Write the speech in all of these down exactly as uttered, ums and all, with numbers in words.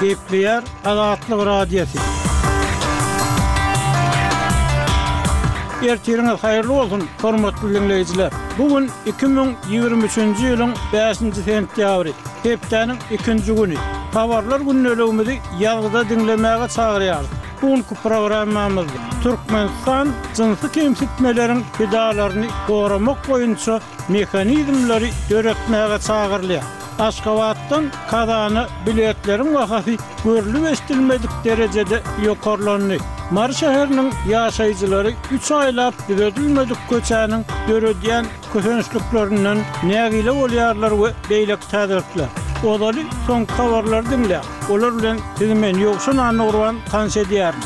Gepleýär Azatlyk Radiosy. Ertiriňiz haýyrly bolsun, hormatly diňleýjiler! Bu gün iki müň ýigrimi üçünji ýylyň bäşinji sentýabry, hepdäniň ikinji güni. Habarlar gündeligimizi ýazgyda diňlemäge çagyrýarys. Bu günki programmamyzda Türkmenistan jynsy kemsitmeleriň pidalaryny goramak boýunça mehanizmleri döretmäge çagyrylýar. Aşgabatdan Kazana biletleriň bahasy görlüp-eşidilmedik derejede ýokarlandy. Mary şäheriniň ýaşaýjylary üç aýlap düzedilmedik köçäniň döredýän kösençliklerinden nägile bolýarlar we beýleki täzelikler. Ozaly soňky habarlary diňläň. Olar bilen sizi men Ýowşan Annagurban tanyş edýärin.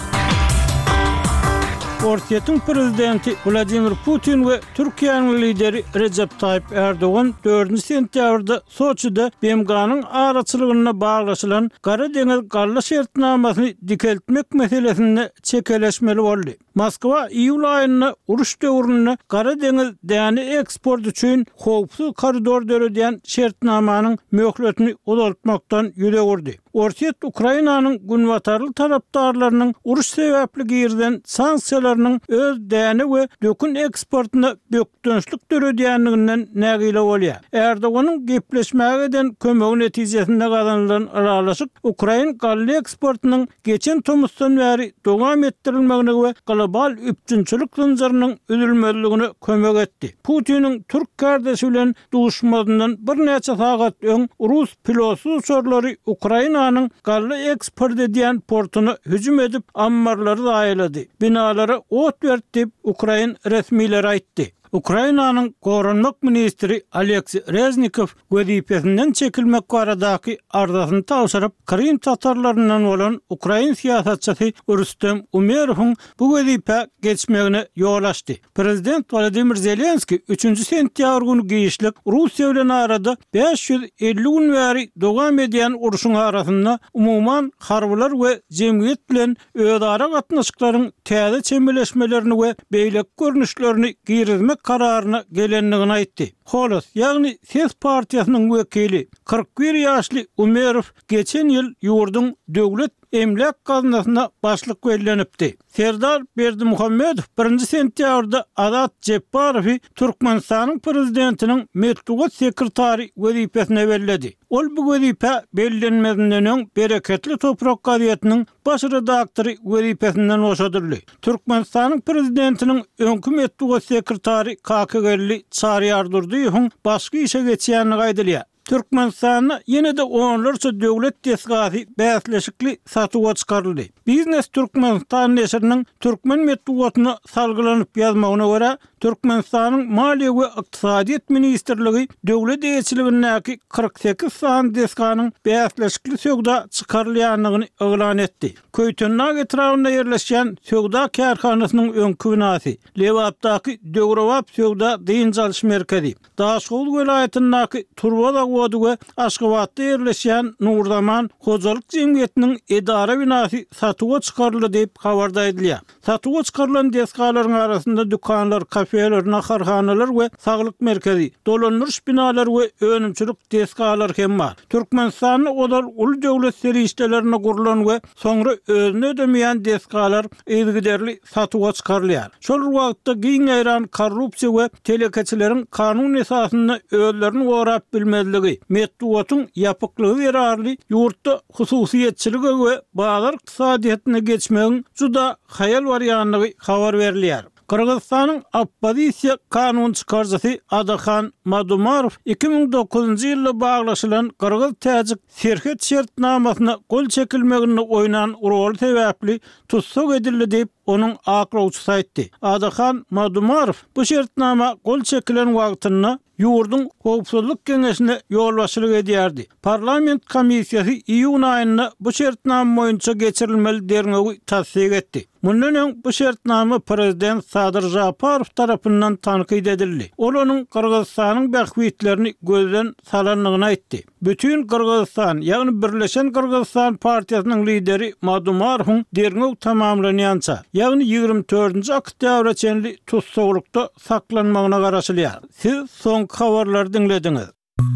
Orsýetiň prezidenti Wladimir Putin we Türkiýäniň lideri Rejep Taýyp Ärdogan dördünji sentýabrda Soçide B M G-nyň araçylygynda baglaşylan Gara deňiz galla şertnamasyny dikeltmek meselesinde çekeleşmeli boldy. Moskwa iýul aýynda uruş döwründe Gara deňiz däne eksporty üçin howpsuz koridor döredýän şertnamanyň möhletini uzaltmakdan ýüz öwürdi. Orsýet Ukrainanyň günbatarly tarapdarlarynyň uruş sebäpli girizen sanksiýalarynyň öz däne we dökün eksportyna bökdençlik döredýändiginden nägile bolýar. Erdoganyň gepleşmäge eden kömegi netijesinde gazanylan ylalaşyk ukrain galla eksportynyň geçen tomusdan bäri dowam etdirilmegine we global üpjünçilik zynjyrynyň üzülmezligine kömek etdi. Putiniň türk kardeşi bilen duşmazyndan birnäçe sagat öň rus pilotsyz uçarlary Ukrainanyň galla eksport edýän portuna hüjüm edip, ammarlary zaýalady. Binalara ot berdi diýip, ukrain resmileri aýtdy. Ukrainanyň goranmak ministri Aleksiý Reznikow wezipesinden çekilmek baradaky arzasyny tabşyryp, Krym tatarlaryndan bolan ukrain syýasatçysy Rüstem Umerowyň bu wezipä geçmegine ýol açdy. Prezident Wladimir Zelenskiý üçünji sentýabr güni giçlik Russiýa bilen arada bäş ýüz elli gün bäri dowam edýän urşuň arasynda umuman harbylar we jemgyýet bilen özara gatnaşyklaryň täze çemeleşmelerini we beýleki görnüşlerini girizmek kararyna gelendigini aýtdy. Holos, ýagny Ses partiýasynyň wekili kyrk bir ýaşly Umerow geçen ýyl ýurduň döwlet emläk gaznasyna başlyk bellenipdi. Serdar Berdimuhamedow birinji sentýabrda Azat Jepbarowy Türkmenistanyň prezidentiniň metbugat sekretary wezipesine belledi. Ol bu wezipä bellenmezinden öň Bereketli toprak gazetiniň baş redaktory wezipesinden boşadyldy. Türkmenistanyň prezidentiniň öňki metbugat sekretary Kakageldi Çaryýardurdyýewiň başga işe geçýändigi aýdylýar. Türkmenistanda ýene-de onlarça döwlet desgasy bäsleşikli satuwa çykaryldy. Biznes Türkmenistan neşiriniň türkmen metbugatyna salgylanyp ýazmagyna görä, Türkmenistanyň Maliýe we ykdysadyýet ministrligi döwlet eýeçiligindäki kyrk sekiz sany desganyň bäsleşikli söwda çykarylýandygyny yglan etdi. Köýtendag etrabynda ýerleşýän söwda kärhanasynyň öňki binasy, Lebapdaky döwrebap söwda dynç alyş merkezi, Daşoguz welaýatyndaky turba zawody we Aşgabatda ýerleşýän Nurzaman hojalyk jemgyýetiniň edara binasy satuwa çykaryldy diýip, habarda aýdylýar. Satuwa çykarylan desgalaryň arasynda dükanlar, kafeler, naharhanalar we saglyk merkezi, dolandyryş binalary we önümçilik desgalary hem bar. Türkmenistanda ozal uly döwlet serişdelerine gurlan we soňra özüni ödemeýän desgalar yzygiderli satuwa çykarylýar. Şol bir wagtda giň ýaýran korrupsiýa we telekeçileriň kanun esasynda özlerini gorap bilmezligi, metbugatyň ýapyklygy zerarly ýurtda hususyýetçilige we bazar ykdysadyýetine geçmegiň juda haýal barýandygy habar berilýär. Gyrgyzystanyň oppozisiýa kanun çykaryjysy Adahan Madumarow iki müň dokuzynjy ýylda baglaşylan gyrgyz-täjik serhet şertnamasyna gol çekilmeginde oýnan roly sebäpli tussag edildi diýip, onuň aklawçysy aýtdy. Adahan Madumarow bu şertnama gol çekilen wagtynda ýurduň Howpsuzlyk geňeşine ýolbaşçylyk edýärdi. Parlament komissiýasy iýun aýynda bu şertnama boýunça geçirilmeli derňewi tassyk etdi. Mundan öň bu şertnama prezident Sadyr Žaparow tarapyndan tankyt edildi. Ol onuň Gyrgyzystanyň bähbitlerini gözden salandygyny aýtdy. Bütin Gyrgyzystan, ýagny Birleşen Gyrgyzystan partiýasynyň lideri Madumarowyň derňew tamamlanýança, ýagny ýigrimi dördünji oktýabra çenli tussaglykda saklanmagyna garaşylýar. Siz soňky habarlary diňlediňiz.